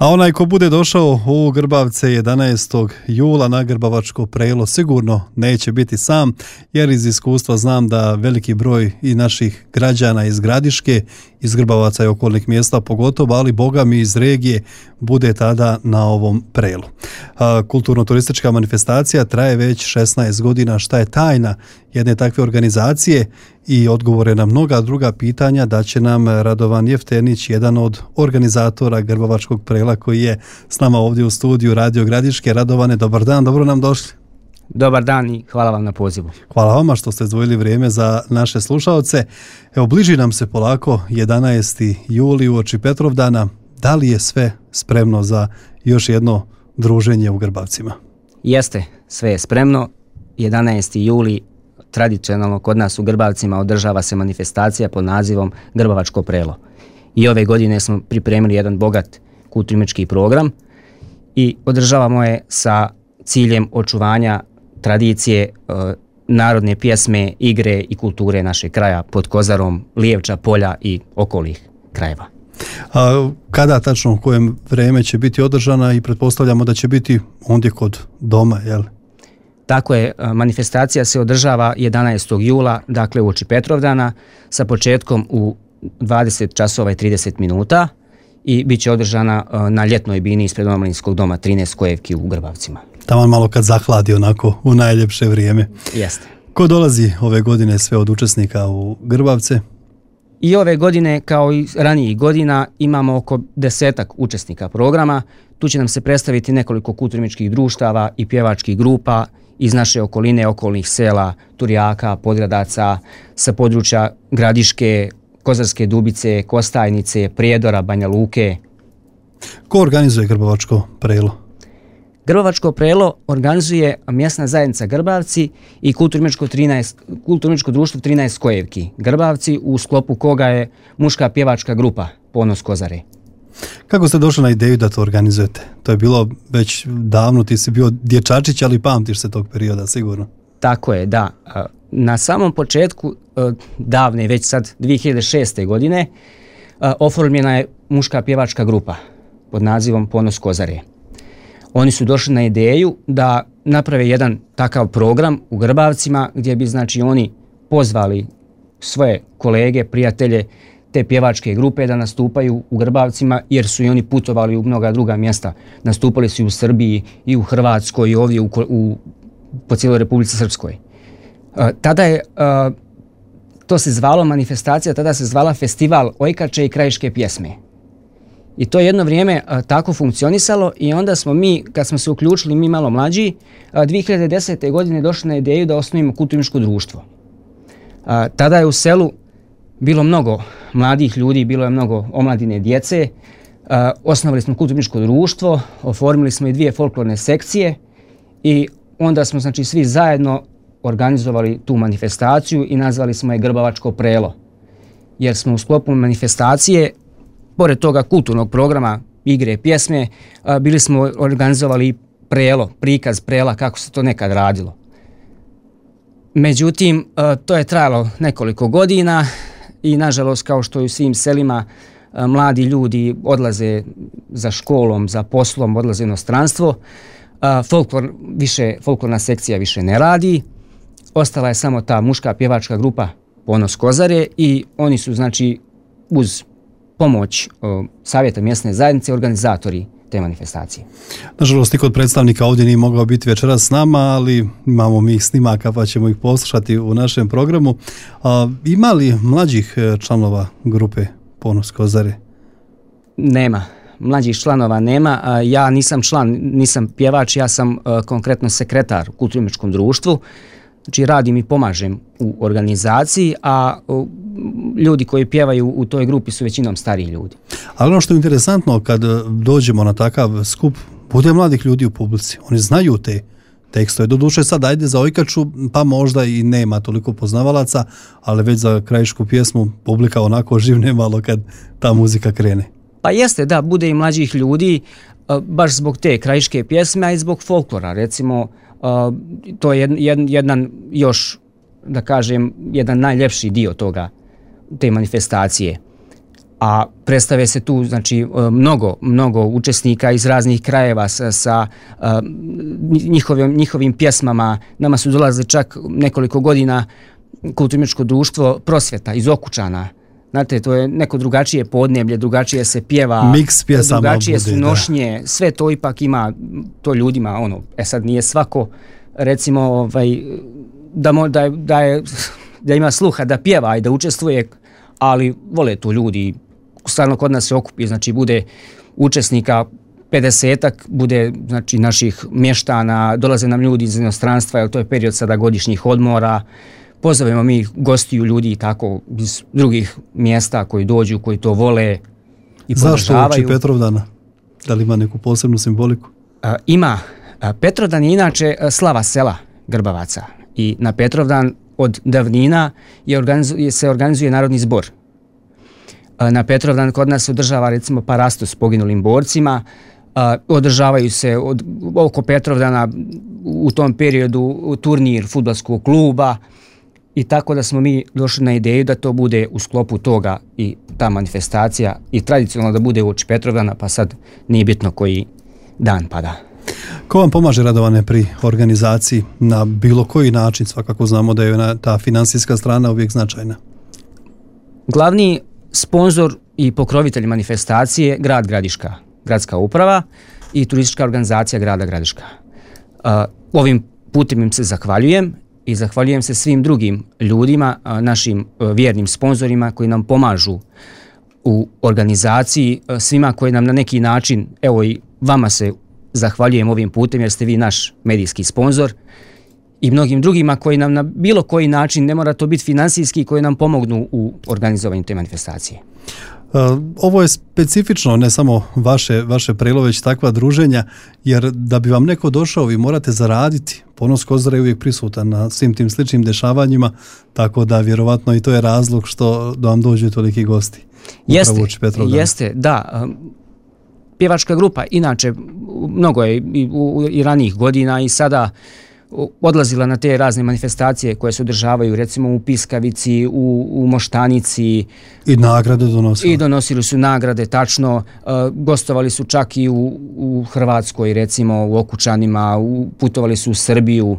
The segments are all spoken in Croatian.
A onaj ko bude došao u Grbavce 11. jula na Grbavačko prelo sigurno neće biti sam, jer iz iskustva znam da veliki broj i naših građana iz Gradiške, iz Grbavaca i okolnih mjesta pogotovo, ali boga mi iz regije bude tada na ovom prelu. Kulturno-turistička manifestacija traje već 16 godina. Šta je tajna jedne takve organizacije? I odgovore na mnoga druga pitanja da će nam Radovan Jeftenić, jedan od organizatora Grbavačkog prela, koji je s nama ovdje u studiju Radio Gradiške. Radovane, dobar dan, dobro nam došli. Dobar dan i hvala vam na pozivu. Hvala vama što ste izdvojili vrijeme za naše slušaoce. Evo, bliži nam se polako 11. juli uoči Petrovdana. Da li je sve spremno za još jedno druženje u Grbavcima? Jeste, sve je spremno. 11. juli tradicionalno kod nas u Grbavcima održava se manifestacija pod nazivom Grbavačko prelo. I ove godine smo pripremili jedan bogat kulturno-umjetnički program i održavamo je sa ciljem očuvanja tradicije, narodne pjesme, igre i kulture našeg kraja pod Kozarom, Lijevča, Polja i okolnih krajeva. A kada tačno, u kojem vreme će biti održana i pretpostavljamo da će biti ondje kod doma, jel? Tako je, manifestacija se održava 11. jula, dakle uoči Petrovdana, sa početkom u 20 časova i 30 minuta i bit će održana na ljetnoj bini ispred Omladinskog doma 13 Kojevki u Grbavcima. Tamo malo kad zahladi onako u najljepše vrijeme. Jeste. Ko dolazi ove godine sve od učesnika u Grbavce? I ove godine, kao i ranijih godina, imamo oko 10 učesnika programa. Tu će nam se predstaviti nekoliko kulturno-umjetničkih društava i pjevačkih grupa iz naše okoline, okolnih sela, Turjaka, Podgradaca, sa područja Gradiške, Kozarske Dubice, Kostajnice, Prijedora, Banja Luke. Ko organizuje Grbavačko prelo? Grbavačko prelo organizuje mjesna zajednica Grbavci i kulturno-umjetničko društvo 13 Kojevki Grbavci, u sklopu koga je muška pjevačka grupa Ponos Kozare. Kako ste došli na ideju da to organizujete? To je bilo već davno, ti si bio dječačić, ali pamtiš se tog perioda sigurno. Tako je, da. Na samom početku, davne, već sad 2006. godine, oformljena je muška pjevačka grupa pod nazivom Ponos Kozare. Oni su došli na ideju da naprave jedan takav program u Grbavcima gdje bi, znači, oni pozvali svoje kolege, prijatelje te pjevačke grupe da nastupaju u Grbavcima, jer su i oni putovali u mnoga druga mjesta. Nastupali su i u Srbiji, i u Hrvatskoj, i ovdje po cijeloj Republici Srpskoj. Tada je, to se zvalo manifestacija, tada se zvala Festival ojkače i krajiške pjesme. I to je jedno vrijeme tako funkcionisalo i onda smo mi, kad smo se uključili, mi malo mlađi, 2010. godine došli na ideju da osnovimo kulturno-umjetničko društvo. Tada je u selu bilo mnogo mladih ljudi, bilo je mnogo omladine djece. Osnovali smo kulturno-umjetničko društvo, oformili smo i 2 folklorne sekcije i onda smo, znači, svi zajedno organizovali tu manifestaciju i nazvali smo je Grbavačko prelo. Jer smo u sklopu manifestacije, pored toga kulturnog programa, igre, pjesme, bili smo organizovali prelo, prikaz prela kako se to nekad radilo. Međutim, to je trajalo nekoliko godina i nažalost, kao što i u svim selima, mladi ljudi odlaze za školom, za poslom, odlaze u inostranstvo. Folklorna sekcija više ne radi. Ostala je samo ta muška pjevačka grupa Ponos Kozare i oni su, znači, uz pomoć savjeta mjesne zajednice organizatori te manifestacije. Nažalost, niko od predstavnika ovdje nije mogao biti večeras s nama, ali imamo mi ih snimaka pa ćemo ih poslušati u našem programu. Ima li mlađih članova grupe Ponos Kozare? Nema. Mlađih članova nema. Ja nisam član, nisam pjevač, ja sam konkretno sekretar u kulturno-umjetničkom društvu. Znači, radim i pomažem u organizaciji, a ljudi koji pjevaju u toj grupi su većinom stariji ljudi. Ali ono što je interesantno, kad dođemo na takav skup, bude mladih ljudi u publici. Oni znaju te tekstove. Doduše sad ajde za ojkaču, pa možda i nema toliko poznavalaca, ali već za krajišku pjesmu publika onako živne malo kad ta muzika krene. Pa jeste, da, bude i mlađih ljudi, baš zbog te krajiške pjesme, a i zbog folklora. Recimo, to je jedan još, da kažem, jedan najljepši dio toga, te manifestacije. a predstave se tu znači mnogo učesnika iz raznih krajeva sa njihovim pjesmama. Nama su dolazili čak nekoliko godina kulturno-umjetničko društvo Prosvjeta iz Okučana. Znate, to je neko drugačije podneblje, drugačije se pjeva, miks pjesama, drugačije su nošnje, sve to ipak ima to ljudima, sad nije svako recimo da ima sluha da pjeva i da učestvuje, ali vole to ljudi. Stvarno kod nas se okupi, znači bude učesnika 50-ak, bude znači naših mještana, dolaze nam ljudi iz inostranstva, jer to je period sada godišnjih odmora. Pozovemo mi gostiju ljudi tako iz drugih mjesta koji dođu, koji to vole i podržavaju. Zašto uoči Petrovdana? Da li ima neku posebnu simboliku? Ima. Petrovdan je inače slava sela Grbavaca i na Petrovdan od davnina se organizuje narodni zbor. Na Petrovdan kod nas se održava recimo parastu s poginulim borcima, održavaju se oko Petrovdana u tom periodu turnir fudbalskog kluba i tako da smo mi došli na ideju da to bude u sklopu toga i ta manifestacija i tradicionalno da bude uoči Petrovdana, pa sad nije bitno koji dan pada. Ko vam pomaže, Radovane, pri organizaciji na bilo koji način? Svakako znamo da je ta financijska strana uvijek značajna. Glavni sponzor i pokrovitelj manifestacije grad Gradiška, gradska uprava i turistička organizacija grada Gradiška. Ovim putem im se zahvaljujem i zahvaljujem se svim drugim ljudima, našim vjernim sponzorima koji nam pomažu u organizaciji, svima koji nam na neki način, evo i vama se zahvaljujem ovim putem jer ste vi naš medijski sponzor i mnogim drugima koji nam na bilo koji način, ne mora to biti finansijski, koji nam pomognu u organizovanju te manifestacije. Ovo je specifično, ne samo vaše Prelo, već takva druženja, jer da bi vam neko došao vi morate zaraditi. Ponos Kozare je uvijek prisutan na svim tim sličnim dešavanjima, tako da vjerovatno i to je razlog što da vam dođu toliki gosti. Jeste, da. Pjevačka grupa, inače, mnogo je i ranijih godina i sada odlazila na te razne manifestacije koje se održavaju, recimo u Piskavici, u Moštanici. I nagrade donosili. I donosili su nagrade, tačno. Gostovali su čak i u Hrvatskoj, recimo u Okučanima, putovali su u Srbiju.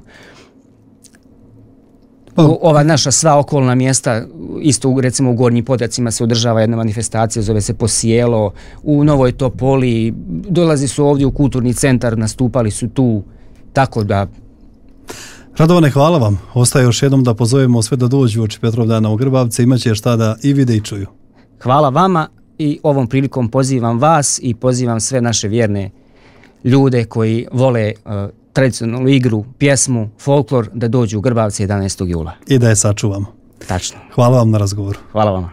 Ova naša sva okolna mjesta, isto recimo u Gornjim Potjacima se održava jedna manifestacija, zove se Posijelo, u Novoj Topoli, dolazi su ovdje u kulturni centar, nastupali su tu, tako da... Radovane, hvala vam. Ostaje još jednom da pozovemo sve da dođu uoči Petrovdana u Grbavce, imat će šta da i vide i čuju. Hvala vama i ovom prilikom pozivam vas i pozivam sve naše vjerne ljude koji vole tradicionalnu igru, pjesmu, folklor, da dođu u Grbavce 11. jula. I da je sačuvamo. Tačno. Hvala vam na razgovoru. Hvala vama.